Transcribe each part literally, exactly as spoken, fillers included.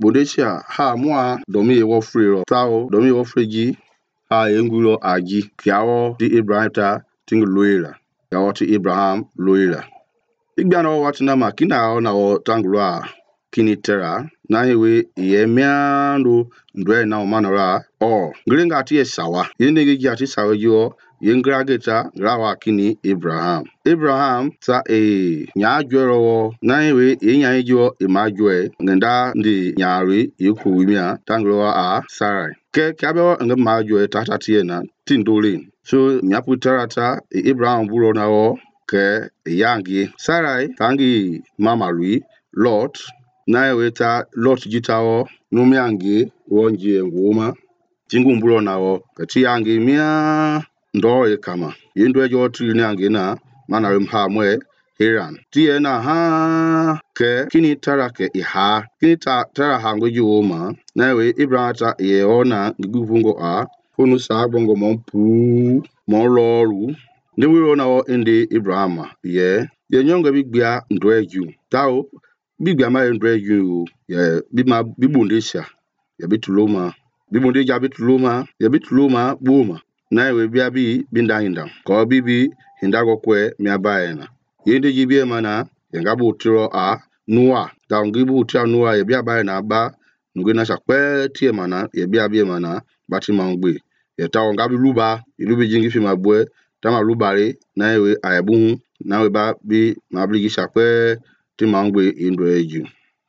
Bodesia ha mua domi ye wo free ro tao domi wo free ji ha yengulo aji kiawo ti Abraham ta ting loira kiawo ti Abraham loira igba no watina makina na wo tangloa kini tera na yewe ye miando ndwe na manora o gringa ti sawa yende gi ati sawa jo yengra geta grawa kini Abraham Abraham ta e nya jwero na yewe ye nya jo e ma jwe ngenda ndi nyari yiku wimia tangloa a Sarai ke kabe nge ma jwe tata tiena tindolin so nyapu terata Abraham bulo na wo ke yangi Sarai tangi mama lui Lot na yeweta Lot jitawo numiangi wonje nguma tingu mbulo nawo kati yangi mia ndo ye kama yendo jo tri yangi na mana mha mwe Haran tie na ha ke kini tara ke iha kini ta tara hango juma na we Abraham ta ye ona gubungo a kunu sa bongo monpu mon loru ndi wiro na wo indi Abraham ye ye nyonga bigbia ndweju tao bigbia ma ndweju ye bima bibundesha ye bituloma bibunde ja bituloma ye bituloma buma na we bia bi binda hinda ko bibi hinda go kwe mi abaena yende jibie mana ye ngabu tiro a nuwa ta ngibu tia nuwa ye bia baena ba ngina sakpe tie mana ye bia bia mana batima ngbe ye ta ngabu luba ilubi jingi fi mabwe tama lubare na we ayabu na we ba bi mabligi sakpe ti mangbe indo eju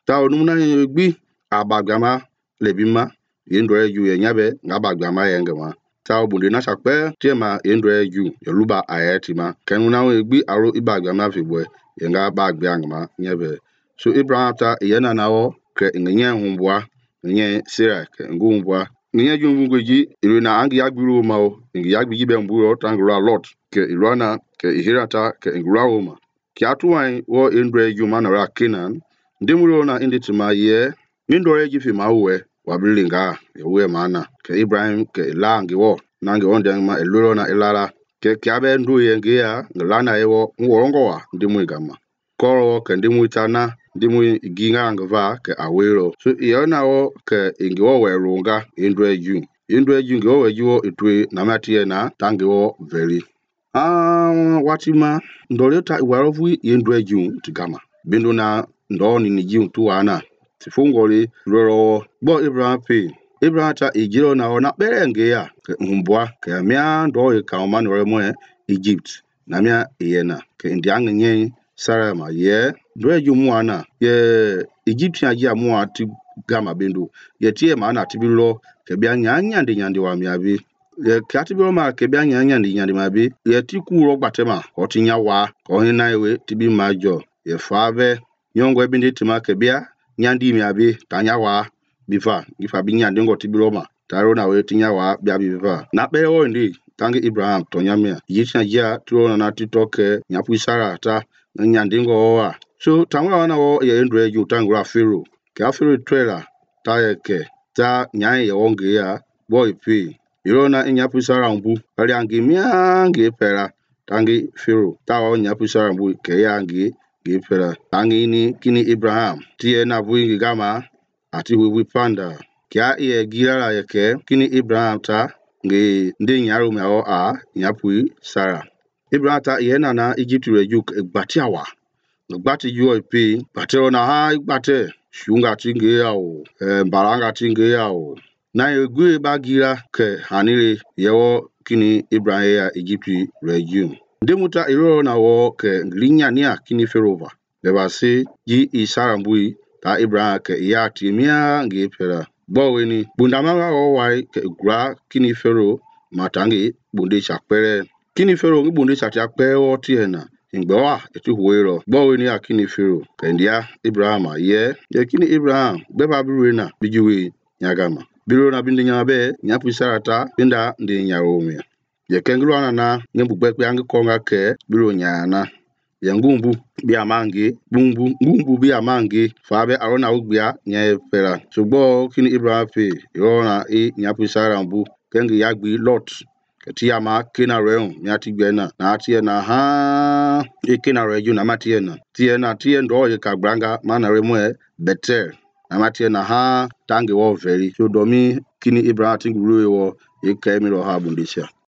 ta onumna ye gbi abagama lebima indo eju ye nyabe ngabagama ye ngama ta obunde na sakpe ti ma indo eju ye luba ayatima kenu na we gbi aro ibagama fibwe ye ngabagbe ngama nyabe so Abraham ta yena nawo ke ngenye humbwa ngenye Sarah ke ngumbwa ngenye jungweji irina angi yagburu mawo ngi yagbi be mburo tangura Lot ke irana ke ihirata ke ngrawoma ki atuwai wo indre juma na ra Canaan ndimuro na inditima ye indore ji fi mawe wa bilinga yewe mana ke Ibrahim ke langi wo nangi onde ma eluro na ilara ke kiabe ndu ye ngia ngana yewo ngorongo wa ndimu gama koro ke ndimu tana ndimu ginga ngva ke awero so yona wo ke ingiwo werunga indre ju indre ju ngiwo wejuo itwe na matie na tangi wo veri ah watima ndoleta iwarovu indre ju tigama bindu na ndoni ni ji tuana tifungoli roro bo Abraham pe Abraham ta ejiro na ona berenge ya ke humbwa ke mia ndo e ka ma no mo Egypt na mia yena ke ndiang nye Sarah ma ye ndo ju muana ye Egyptian ji amua ti gama bindu ye tie ma na tibilo ke bia nyanya ndi nyandi wa miabi ye katibilo ma ke bia nyanya ndi nyandi ma bi ye ti ku ro gbatema o ti nya wa ko hin na ewe ti bi majo ye fave nyongwe bindi tima ke bia nyandi miabi tanya wa bifa ifa bi nyandi ngo tibilo ma taro na we tinya wa bia bifa na be wo ndi tangi Abraham to nyamia yisha ja tro na titoke nyapu Sarah ta nyandi ngo wa so tamwa na wo ye ndre ju tangura Pharaoh ka Pharaoh trailer ta yeke ta nyai ye wonge ya boy pe irona nyapu Sarah mbu ali angi mia nge pera tangi Pharaoh ta wo nyapu Sarah mbu ke ya nge nge pera tangi ni kini Abraham tie na buingi gama ati we panda kia ye gira yeke kini Abraham ta nge ndi nyaro me o a nyapu Sarah Abraham ta yena na Egypt reju gbatiawa gbati jo pe batero na ha gbate shunga tinge yawo eh baranga tinge yawo na egwe bagira ke hanire yewo kini Abraham ya Egypt reju ndemuta iro na wo ke linya nia kini Ferova leba se ji Isara mbui ta Abraham ke ya timia nge pera boweni bundama wo wai ke gra kini Fero matangi bunde chakpere kini Fero bunde chakpere wo tiena ingbewa etu huero boweni akini Fero kendia Abraham ye ye kini Abraham beba biruena bijiwe nyagama biro na bindi nyabe nyapu Sarata binda ndi nyarome ye kengulu ana na nyembu gbekpe angi konga ke biro nyana ye ngumbu bia mangi bumbu ngumbu bia mangi fabe arona ugbia nya pera sugbo kini Abraham fe yona e nyapu Sarah mbu kengi yagbi Lot ketia ma kena reun nyati gbena na tie na ha e kena reju na matie na tie na tie ndo ye ka branga mana remwe Betel amatie na ha tangi wo veli so domi kini Abraham tingi loe wo ye kai mi lo ha bundesia